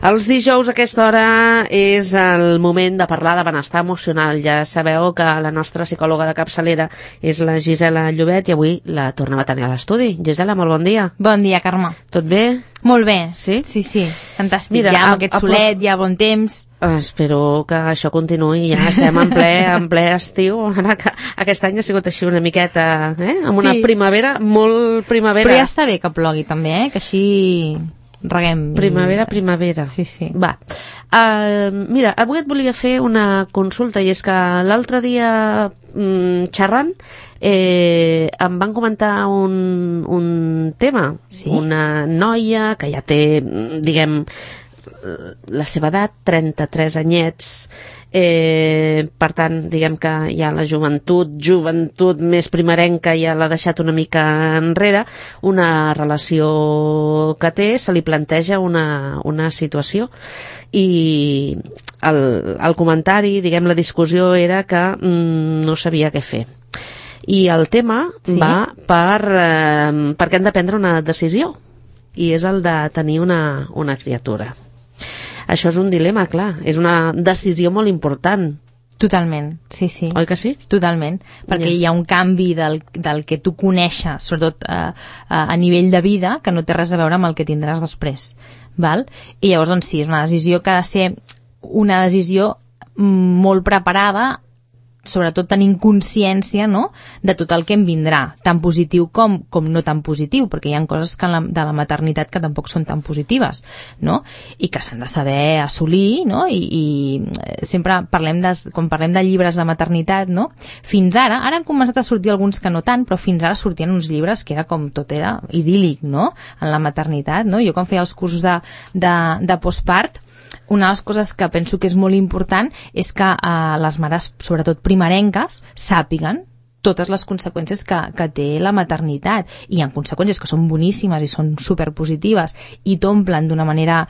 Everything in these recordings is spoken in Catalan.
Els dijous a aquesta hora és el moment de parlar de benestar emocional. Ja sabeu que la nostra psicòloga de capçalera és la Gisela Llobet i avui la tornem a tenir a l'estudi. Gisela, molt bon dia. Bon dia, Carme. Tot bé? Molt bé. Sí? Sí, sí. Fantàstic. Mira, ja amb aquest solet, ja bon temps. Espero que això continuï. Ja estem en ple estiu. Ara que aquest any ha sigut així una miqueta, amb una primavera, molt primavera. Però ja està bé que plogui també, que així reguem. Primavera. Sí, sí. Va. Mira, avui et volia fer una consulta i és que l'altre dia xerrant em van comentar un tema. Sí? Una noia que ja té, diguem, la seva edat, 33 anyets, per tant, diguem que ja la joventut més primerenca ja l'ha deixat una mica enrere, una relació que té, se li planteja una situació i el comentari, diguem, la discussió era que no sabia què fer. I el tema va perquè hem de prendre una decisió i és el de tenir una criatura. Això és un dilema, clar, és una decisió molt important. Totalment, sí, sí. Oi que sí? Totalment, perquè hi ha un canvi del que tu coneixes, sobretot a nivell de vida, que no té res a veure amb el que tindràs després, val? I llavors, doncs sí, és una decisió que ha de ser una decisió molt preparada, sobretot tenint consciència, no?, de tot el que em vindrà, tant positiu com no tan positiu, perquè hi ha coses de la maternitat que tampoc són tan positives, no?, i que s'han de saber assolir, no?, i sempre quan parlem de llibres de maternitat, no?, fins ara han començat a sortir alguns que no tant, però fins ara sortien uns llibres que era com tot era idíl·lic, no?, en la maternitat, no?, jo quan feia els cursos de postpart, una de les coses que penso que és molt important és que les mares, sobretot primerenques, sàpiguen totes les conseqüències que té la maternitat. I hi ha conseqüències que són boníssimes i són superpositives i t'omplen d'una manera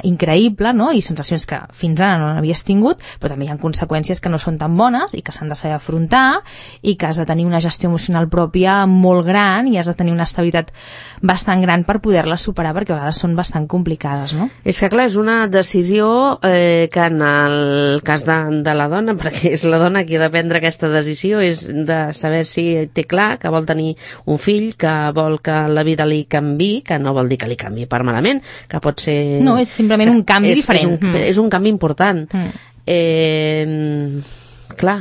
increïble, no?, i sensacions que fins ara no n'havies tingut, però també hi ha conseqüències que no són tan bones i que s'han de saber afrontar i que has de tenir una gestió emocional pròpia molt gran i has de tenir una estabilitat bastant gran per poder-les superar, perquè a vegades són bastant complicades, no? És que clar, és una decisió que en el cas de la dona, perquè és la dona qui ha de prendre aquesta decisió, és de saber si té clar que vol tenir un fill, que vol que la vida li canvi, que no vol dir que li canvi per malament, que pot ser... No, és simplement un canvi diferent. És un canvi important. Clar,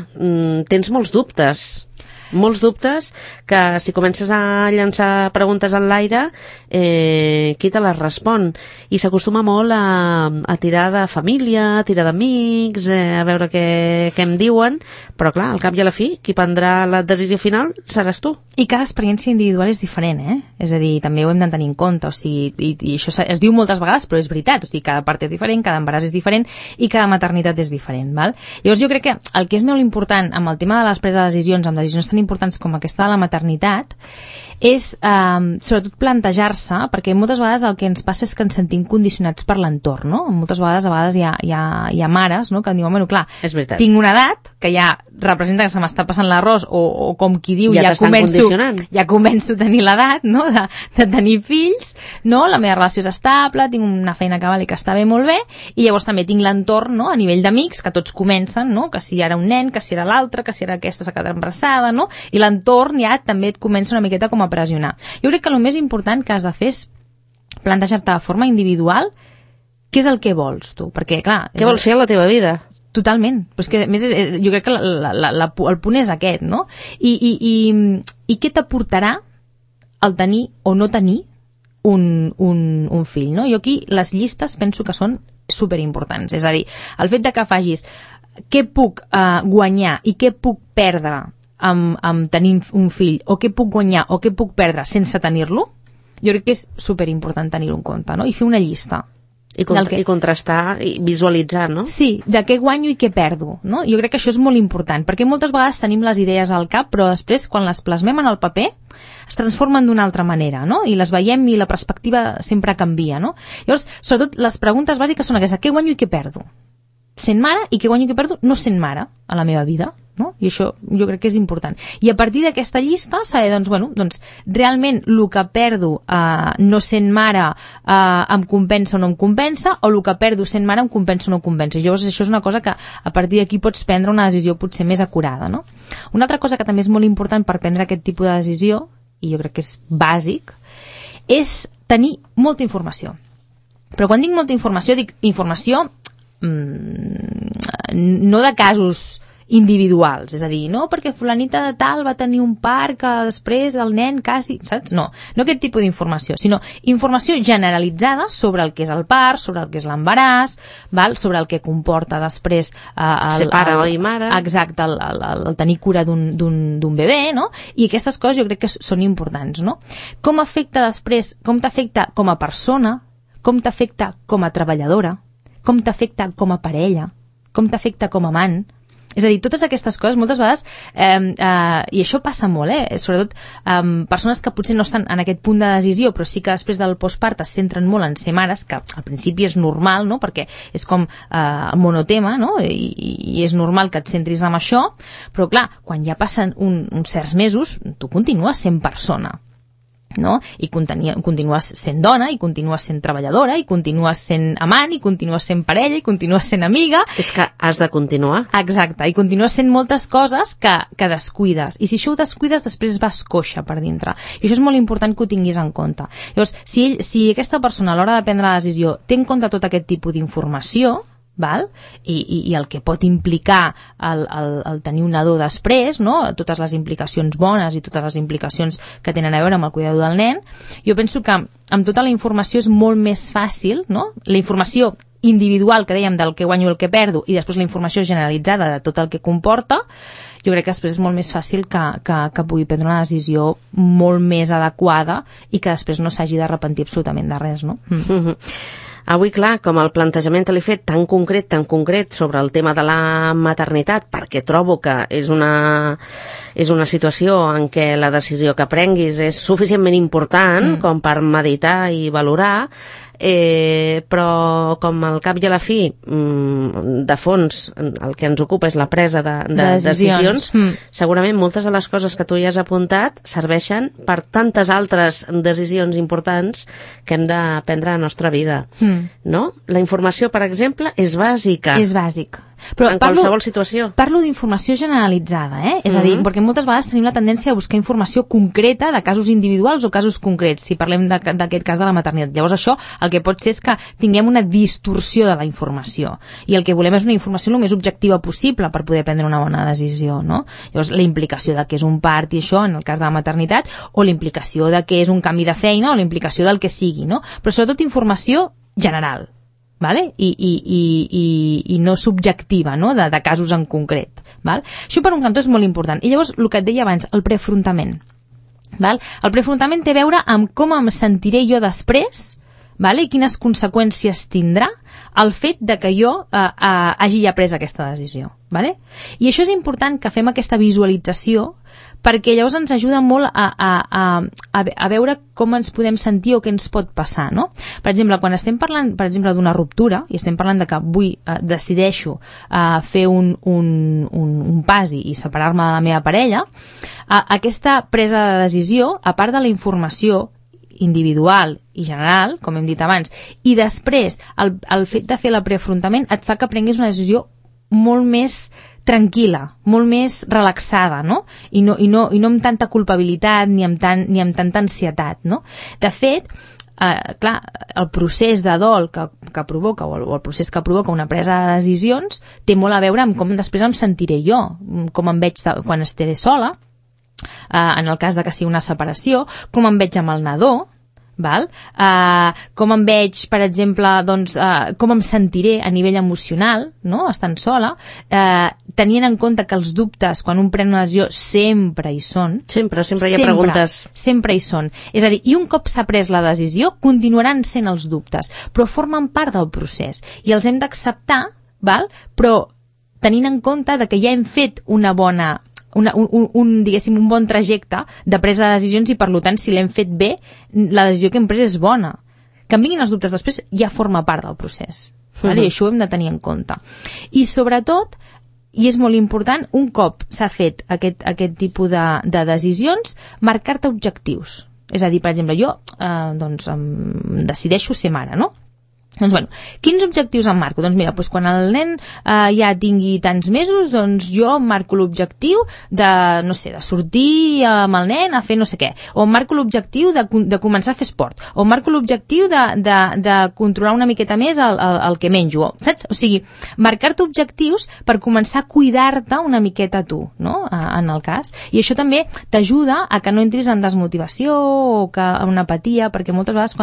tens molts dubtes que si comences a llançar preguntes en l'aire, qui te les respon? I s'acostuma molt a tirar de família, a tirar d'amics, a veure què em diuen, però clar, al cap i a la fi, qui prendrà la decisió final seràs tu. I cada experiència individual és diferent, És a dir, també ho hem de tenir en compte, o sigui, i això es diu moltes vegades, però és veritat, o sigui, cada part és diferent, cada embaràs és diferent i cada maternitat és diferent, val? Llavors jo crec que el que és molt important amb el tema de les preses de decisions, amb decisions tan importants com aquesta de la maternitat, és sobretot plantejar-se, perquè moltes vegades el que ens passa és que ens sentim condicionats per l'entorn, no? Moltes vegades hi ha mares, no?, que diuen, bueno, clar, tinc una edat que ja representa que se m'està passant l'arròs o com qui diu, ja començo a tenir l'edat, no?, de tenir fills, no?, la meva relació és estable, tinc una feina que val i que està bé, molt bé, i llavors també tinc l'entorn, no?, a nivell d'amics, que tots comencen, no?, que si ara un nen, que si era l'altre, que si era aquesta s'ha quedat embarassada, no?, i l'entorn ja també et comença una miqueta com a pressionar. Jo crec que el més important que has de fer és plantejar-te de forma individual què és el que vols tu, perquè clar... Què vols fer a la teva vida? Totalment, però és que a més jo crec que el punt és aquest, no? I què t'aportarà el tenir o no tenir un fill, no? Jo aquí les llistes penso que són superimportants, és a dir, el fet de que facis què puc guanyar i què puc perdre amb tenir un fill, o què puc guanyar o què puc perdre sense tenir-lo, jo crec que és superimportant tenir-ho en compte, no? I fer una llista. I contrastar i visualitzar, no? Sí, de què guanyo i què perdo, no? Jo crec que això és molt important, perquè moltes vegades tenim les idees al cap, però després, quan les plasmem en el paper, es transformen d'una altra manera, no? I les veiem i la perspectiva sempre canvia, no? Llavors, sobretot, les preguntes bàsiques són aquestes: què guanyo i què perdo? Sent mare, i què guanyo i què perdo no sent mare a la meva vida. no? I això jo crec que és important. I a partir d'aquesta llista saber, doncs, realment el que perdo no sent mare em compensa o no em compensa, o el que perdo sent mare em compensa o no em compensa. Llavors això és una cosa que a partir d'aquí pots prendre una decisió potser més acurada, no? Una altra cosa que també és molt important per prendre aquest tipus de decisió, i jo crec que és bàsic, és tenir molta informació. Però quan dic molta informació, dic informació no de casos individuals, és a dir, no perquè fulanita de tal va tenir un part que després el nen quasi, saps? No aquest tipus d'informació, sinó informació generalitzada sobre el que és el part, sobre el que és l'embaràs, sobre el que comporta després ser pare i mare. Exacte, el tenir cura d'un bebè, no? I aquestes coses jo crec que són importants, no? Com afecta després, com t'afecta com a persona, com t'afecta com a treballadora, com t'afecta com a parella, com t'afecta com a amant. És a dir, totes aquestes coses moltes vegades, i això passa molt, sobretot persones que potser no estan en aquest punt de decisió, però sí que després del postpart es centren molt en ser mares, que al principi és normal, no? Perquè és com monotema, no? I és normal que et centris en això, però clar, quan ja passen uns certs mesos, tu continues sent persona, no? I continues sent dona, i continues sent treballadora, i continues sent amant, i continues sent parella, i continues sent amiga. És que has de continuar. Exacte, i continues sent moltes coses que descuides, i si això ho descuides després vas coixa per dintre, i això és molt important que ho tinguis en compte. Llavors, si aquesta persona a l'hora de prendre la decisió té en compte tot aquest tipus d'informació, i el que pot implicar el tenir un nadó després, no? Totes les implicacions bones i totes les implicacions que tenen a veure amb el cuidador del nen, jo penso que amb tota la informació és molt més fàcil, no? La informació individual que dèiem del que guanyo i el que perdo, i després la informació generalitzada de tot el que comporta, jo crec que després és molt més fàcil que pugui prendre una decisió molt més adequada i que després no s'hagi d'arrepentir absolutament de res, no? Avui, clar, com el plantejament que l'he fet tan concret sobre el tema de la maternitat, perquè trobo que és una situació en què la decisió que prenguis és suficientment important com per meditar i valorar, però com al cap i a la fi de fons el que ens ocupa és la presa de decisions, segurament moltes de les coses que tu hi has apuntat serveixen per tantes altres decisions importants que hem de prendre a la nostra vida, no? La informació, per exemple, és bàsica. És bàsic. Però en qualsevol situació. Parlo d'informació generalitzada, és a dir, perquè moltes vegades tenim la tendència a buscar informació concreta de casos individuals o casos concrets, si parlem d'aquest cas de la maternitat. Llavors això el que pot ser és que tinguem una distorsió de la informació, i el que volem és una informació el més objectiva possible per poder prendre una bona decisió, no? Llavors la implicació de què és un part i això en el cas de la maternitat, o la implicació de què és un canvi de feina, o la implicació del que sigui, no? Però sobretot informació general, ¿vale? I no subjectiva, no? De casos en concret, ¿vale? Això per un cantó és molt important. I llavors el que et deia abans, el preafrontament, ¿vale? El preafrontament té a veure amb com em sentiré jo després, ¿vale? I quines conseqüències tindrà el fet de que jo hagi ja pres aquesta decisió, ¿vale? I això és important que fem aquesta visualització, perquè llavors ens ajuda molt a veure com ens podem sentir o què ens pot passar, no? Per exemple, quan estem parlant, per exemple, d'una ruptura, i estem parlant de que decideixo fer un pas i separar-me de la meva parella, aquesta presa de decisió, a part de la informació individual i general, com hem dit abans, i després el fet de fer el preafrontament et fa que prenguis una decisió molt més tranquil·la, molt més relaxada, no? I no amb tanta culpabilitat ni amb tanta ansietat, no? De fet, clar, el procés de dol que provoca, o el procés que provoca una presa de decisions, té molt a veure amb com després em sentiré jo, com em veig quan estaré sola, en el cas de que sigui una separació, com em veig amb el nadó, val? Com em veig, per exemple, doncs, com em sentiré a nivell emocional, no? Estant sola, tenint en compte que els dubtes, quan un pren una decisió, sempre hi són. Sempre hi ha preguntes. Sempre hi són. És a dir, i un cop s'ha pres la decisió, continuaran sent els dubtes, però formen part del procés, i els hem d'acceptar, val? Però tenint en compte de que ja hem fet una bona diguéssim, un bon trajecte de presa de decisions, i per tant, si l'hem fet bé, la decisió que hem pres és bona. Que em vinguin els dubtes després ja forma part del procés, vale? I això ho hem de tenir en compte. I sobretot i és molt important, un cop s'ha fet aquest tipus de decisions, marcar-te objectius. És a dir, per exemple, jo doncs, decideixo ser mare, no? Doncs, bueno, quins objectius em marco? Doncs mira, doncs quan el nen ja tingui tants mesos, doncs jo em marco l'objectiu de, no sé, de sortir amb el nen a fer no sé què, o em marco l'objectiu de començar a fer esport, o em marco l'objectiu de controlar una miqueta més el que menjo, saps? O sigui, marcar-te objectius per començar a cuidar-te una miqueta tu, no? En el cas. I això també t'ajuda a que no entris en desmotivació o en apatia, perquè moltes vegades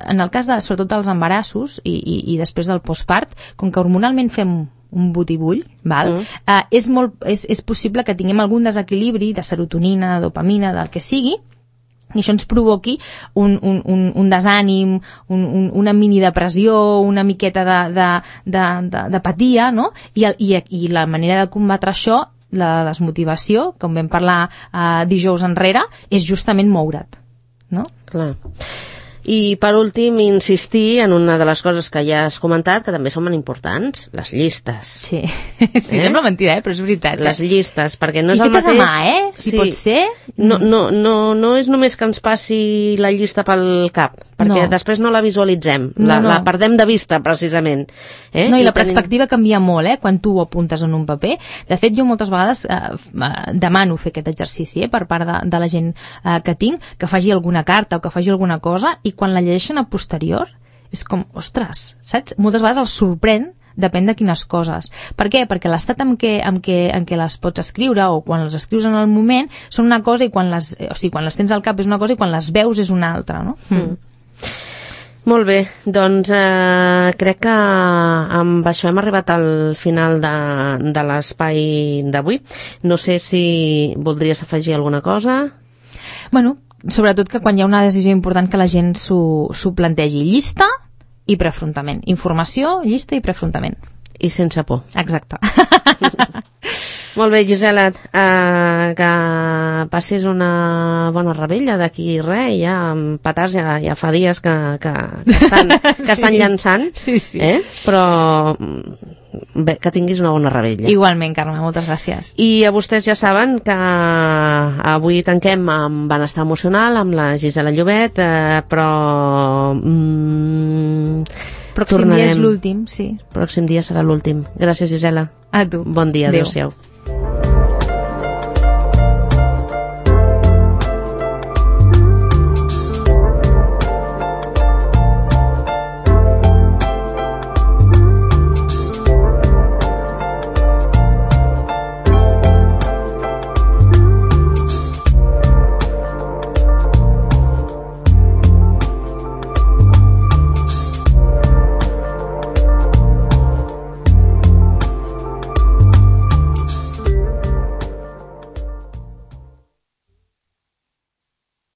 en el cas sobretot dels embarassos i després del postpart, com que hormonalment fem un butibull, val? És possible que tinguem algun desequilibri de serotonina, de dopamina, del que sigui, i això ens provoqui un desànim, una minidepressió, una miqueta d'apatia, no? I la manera de combatre això, la desmotivació, com vam parlar dijous enrere, és justament moure't, no? Clar. I per últim, insistir en una de les coses que ja has comentat, que també són molt importants, les llistes. Sí, sembla mentida, però és veritat. Les llistes, perquè no és el mateix... I fetes a mà, si pot ser... No és només que ens passi la llista pel cap, perquè després no la visualitzem, la perdem de vista, precisament. No, i la perspectiva canvia molt, quan tu ho apuntes en un paper. De fet, jo moltes vegades demano fer aquest exercici per part de la gent que tinc, que faci alguna carta o que faci alguna cosa, i quan la llegeixen a posterior és com, ostres, saps? Moltes vegades els sorprèn, depèn de quines coses. Per què? Perquè l'estat en què les pots escriure o quan les escrius en el moment són una cosa i quan les tens al cap és una cosa i quan les veus és una altra, no? Molt bé, doncs crec que amb això hem arribat al final de l'espai d'avui. No sé si voldries afegir alguna cosa. Bueno, sobretot que quan hi ha una decisió important que la gent s'ho plantegi. Llista i preafrontament. Informació, llista i preafrontament. I sense por. Exacte. Molt bé, Gisela, que passis una bona rebella d'aquí res, ja amb petards ja fa dies que estan llançant, sí. però bé, que tinguis una bona rebella. Igualment, Carme, moltes gràcies. I a vostès ja saben que avui tanquem amb benestar emocional, amb la Gisela Llobet, però pròxim dia és l'últim, sí. Pròxim dia serà l'últim. Gràcies, Gisela. A tu. Bon dia, adéu-siau.